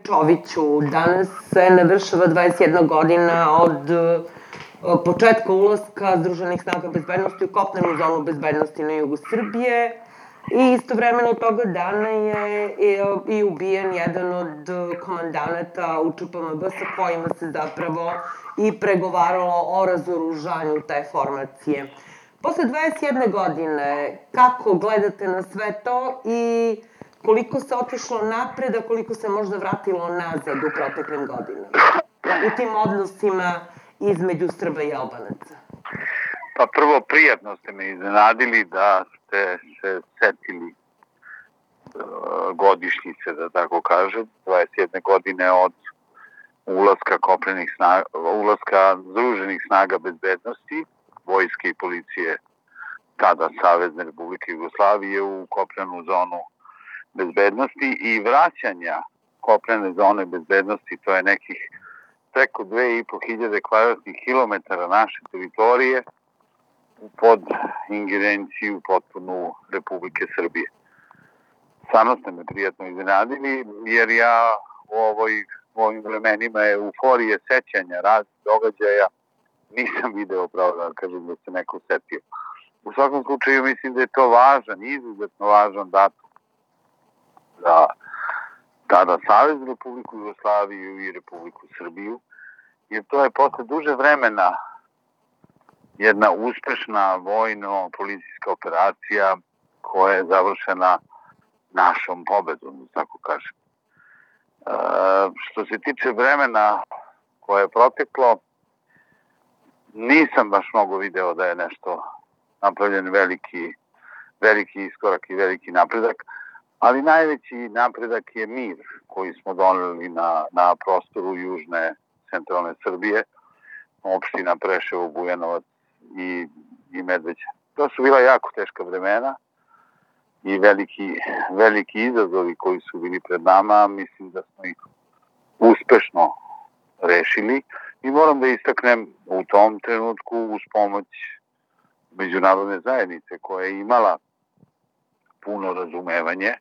Čoviću, danas se navršava 21 godina od početka ulaska Združenih snaga bezbednosti u kopnenu zonu bezbednosti na jugu Srbije i istovremeno toga dana je i ubijen jedan od komandanata UČPMB sa kojima se zapravo i pregovaralo o razoružanju te formacije. Posle 21 godine, kako gledate na sve to i koliko se otišlo napred, a koliko se možda vratilo nazad u proteklim godinama u tim odnosima između Srba i Albanaca? Pa prvo, prijatno ste me iznenadili da ste se setili godišnjice, da tako kažem, 21 godine od ulaska Združenih snaga bezbednosti, vojske i policije tada Savezne Republike Jugoslavije u kopnenu zonu bezbednosti i vraćanja kopnene zone bezbednosti, to je nekih preko 2500 kvadratnih kilometara naše teritorije pod ingerenciju potpunu Republike Srbije. Stvarno ste me prijatno iznenadili, jer ja u ovim vremenima euforije sećanja raznih događaja nisam video, pravo da kažem, da se neko setio. U svakom slučaju mislim da je to važan, izuzetno važan datum za tada Saveznu Republiku Jugoslaviju i Republiku Srbiju, jer to je posle duže vremena jedna uspešna vojno-policijska operacija koja je završena našom pobedom, da tako kažem. Što se tiče vremena koje je proteklo, nisam baš mnogo video da je nešto napravljen veliki iskorak i veliki napredak, ali najveći napredak je mir koji smo doneli na prostoru južne centralne Srbije, opština Preševo, Bujanovac i Medveđa. To su bila jako teška vremena i veliki izazovi koji su bili pred nama, mislim da smo ih uspešno rešili i moram da istaknem u tom trenutku uz pomoć međunarodne zajednice koja je imala puno razumevanje,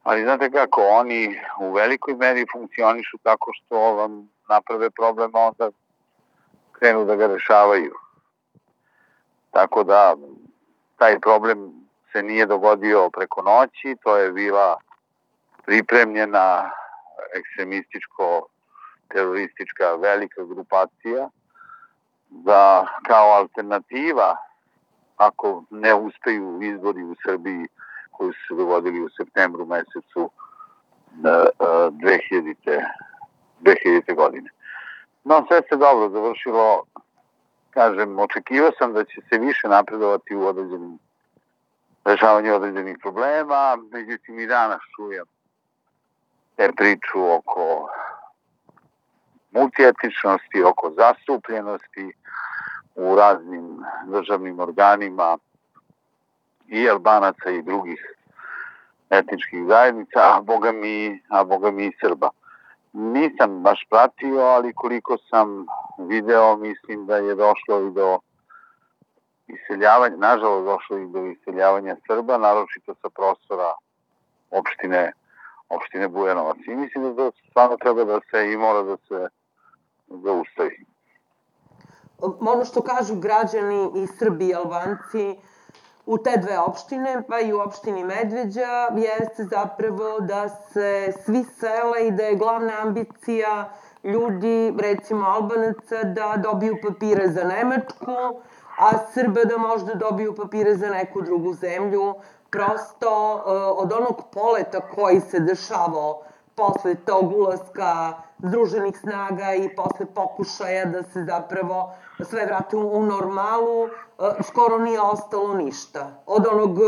ali znate kako, oni u velikoj meri funkcionišu tako što vam naprave problem, a onda krenu da ga rešavaju. Tako da taj problem se nije dogodio preko noći, to je bila pripremljena ekstremističko-teroristička velika grupacija da kao alternativa, ako ne uspeju izbori u Srbiji koji su se dogodili u septembru mesecu 2000. godine. No, sve se dobro završilo. Kažem, očekivao sam da će se više napredovati u rešavanju određenih problema, međutim i danas čujem te priču oko multietničnosti, oko zastupljenosti u raznim državnim organima i Albanaca i drugih etničkih zajednica, a boga mi i Srba. Nisam baš pratio, ali koliko sam video, mislim da je došlo i do iseljavanja, nažalost došlo i do iseljavanja Srba, naročito sa prostora opštine Bujanovac. I mislim da to stvarno treba da se i mora da se zaustavi. Ono što kažu građani i Srbi i Albanci u te dve opštine, pa i u opštini Medveđa, jeste zapravo da se svi sele i da je glavna ambicija ljudi, recimo Albanaca, da dobiju papire za Nemačku, a Srba da možda dobiju papire za neku drugu zemlju. Prosto od onog poleta koji se dešavao posle tog ulaska Združenih snaga i posle pokušaja da se zapravo sve vrati u normalu, skoro nije ostalo ništa. Od onog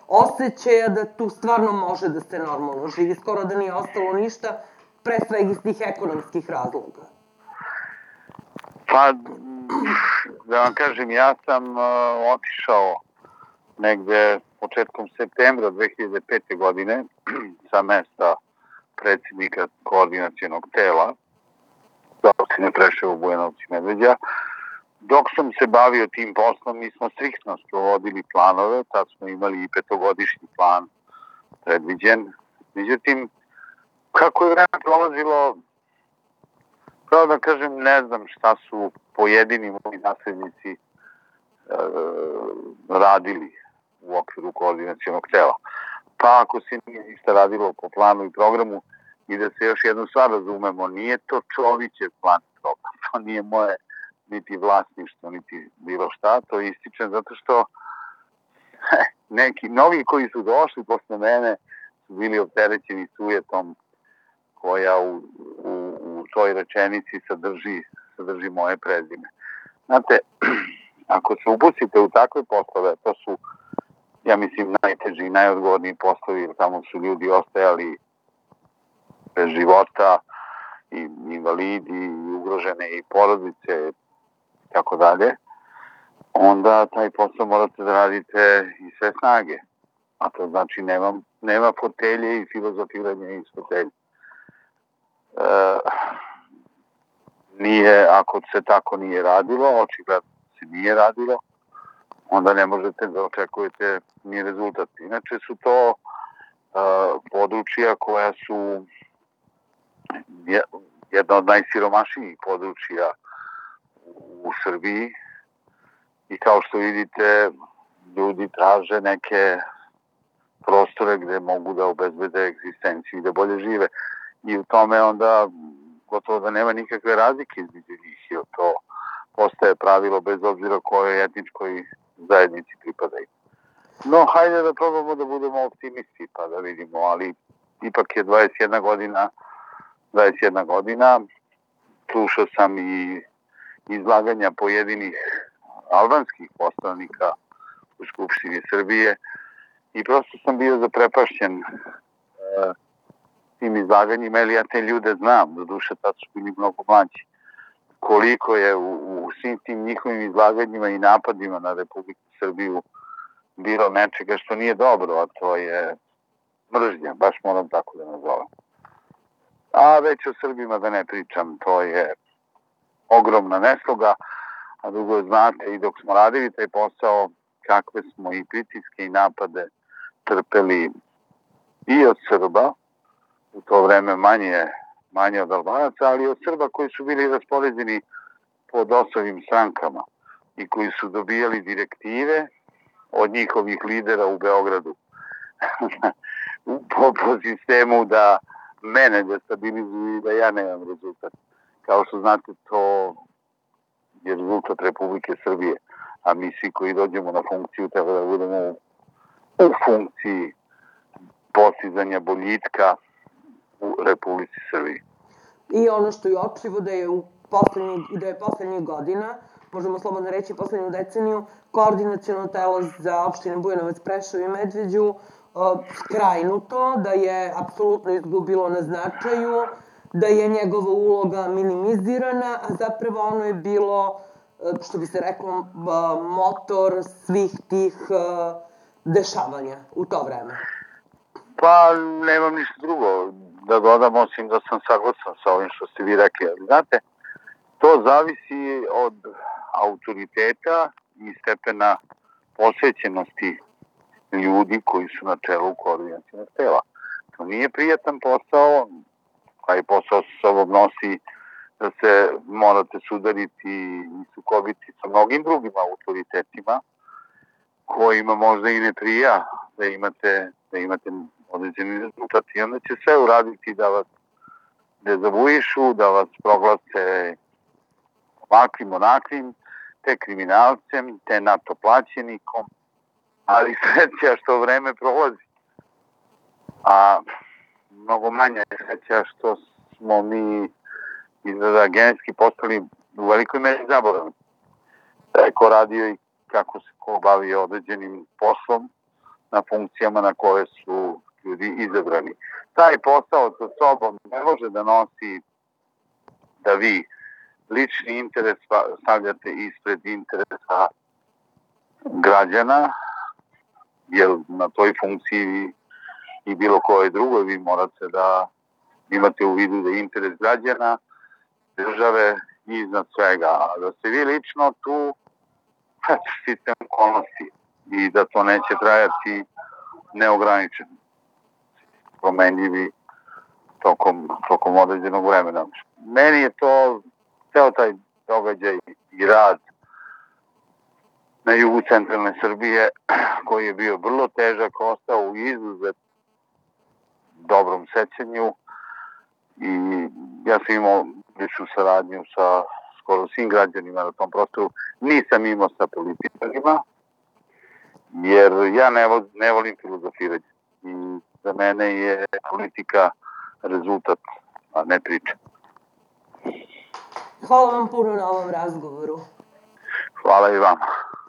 osjećaja da tu stvarno može da se normalno živi, skoro da nije ostalo ništa, pre svega iz tih ekonomskih razloga. Pa, da vam kažem, ja sam otišao negde početkom septembra 2005. godine sa mesta predsjednika koordinacionog tela za opštine Preševo, Bujanovac i Medveđa. Dok sam se bavio tim poslom, mi smo striktno sprovodili planove, tad smo imali i 5-godišnji plan predviđen. Međutim, Kako je vreme prolazilo, pravo da kažem, ne znam šta su pojedini moji naslednici radili u okviru koordinacionog tela. Pa ako se nije ništa radilo po planu i programu, i da se još jednu stvar razumemo, nije to Čovićev plan i program, to nije moje niti vlasništvo, niti bilo šta, to ističem zato što neki novi koji su došli posle mene su bili opterećeni sujetom koja u toj rečenici sadrži moje prezime. Znate, ako se upustite u takve poslove, to su, ja mislim, najteži i najodgovorniji poslovi, jer tamo su ljudi ostajali bez života, i invalidi, i ugrožene i porodice, i tako dalje, onda taj posao morate da radite i sve snage. A to znači nema fotelje i filozofiranja iz fotelje. Ako se tako nije radilo, očigledno se nije radilo, onda ne možete da očekujete ni rezultat. Inače su to područja koja su jedna od najsiromašnijih područja u Srbiji i kao što vidite, ljudi traže neke prostore gde mogu da obezbede egzistenciju i da bolje žive. I u tome onda gotovo da nema nikakve razlike između njih, jer to postaje pravilo bez obzira kojoj etničkoj zajednici pripadaju. No, hajde da probamo da budemo optimisti pa da vidimo, ali ipak je 21 godina, slušao sam i izlaganja pojedinih albanskih poslanika u Skupštini Srbije i prosto sam bio zaprepašćen tim izlaganjima, jer ja te ljude znam, doduše tad su bili mnogo mlađi. Koliko je u svim tim njihovim izlaganjima i napadima na Republiku Srbiju bilo nečega što nije dobro, a to je mržnja, baš moram tako da nazovem. A već o Srbima da ne pričam, to je ogromna nesloga, a drugo znate i dok smo radili taj posao, kakve smo i pritiske i napade trpeli i od Srba, u to vreme manje od Albanaca, ali od Srba koji su bili raspoređeni po DOS-ovim strankama i koji su dobijali direktive od njihovih lidera u Beogradu po sistemu da mene destabilizuju i da ja nemam rezultat. Kao što znate, to je rezultat Republike Srbije, a mi svi koji dođemo na funkciju treba da budemo u funkciji postizanja boljitka u Republici Srbiji. I ono što je očivo da je poslednjih godina, možemo slobodno reći poslednju deceniju, koordinaciono telo za opštine Bujanovac, Preševo i Medveđu skrajnuto, da je apsolutno izgubilo na značaju, da je njegova uloga minimizirana, a zapravo ono je bilo, što bi se reklo, motor svih tih dešavanja u to vreme. Pa, nemam ništa drugo da dodam, osim da sam saglasan sa ovim što ste vi rekli. Ali znate, to zavisi od autoriteta i stepena posvećenosti ljudi koji su na čelu koordinacionog tela. To nije prijatan posao, taj posao sa sobom nosi da se morate sudariti i sukobiti sa mnogim drugim autoritetima kojima možda i ne prija da imate određeni rezultat. I onda će sve uraditi da vas dezavuišu, da vas proglase ovakvim, onakvim, te kriminalcem, te NATO plaćenikom, ali sreća što vreme prolazi. A mnogo manja je sreća što smo mi izgleda genetski postali u velikoj meri zaboravni. Da je ko radio i kako se ko bavio određenim poslom na funkcijama na koje su ljudi izabrani. Taj posao sa sobom ne može da nosi da vi lični interes stavljate ispred interesa građana, jer na toj funkciji i bilo koje drugoj vi morate da imate u vidu da je interes građana, države iznad svega. A da ste vi lično tu sistem okolnosti i da to neće trajati neograničeno. Promenljivi tokom određenog vremena. Meni je to ceo taj događaj i rad na jugu centralne Srbije, koji je bio vrlo težak, ostao u izuzet dobrom sećanju i ja sam imao ličnu saradnju sa skoro svim građanima na tom prostoru. Nisam imao sa političarima, jer ja ne volim filozofiranje. I za mene je politika rezultat, a ne priča. Hvala vam puno na ovom razgovoru. Hvala i vama.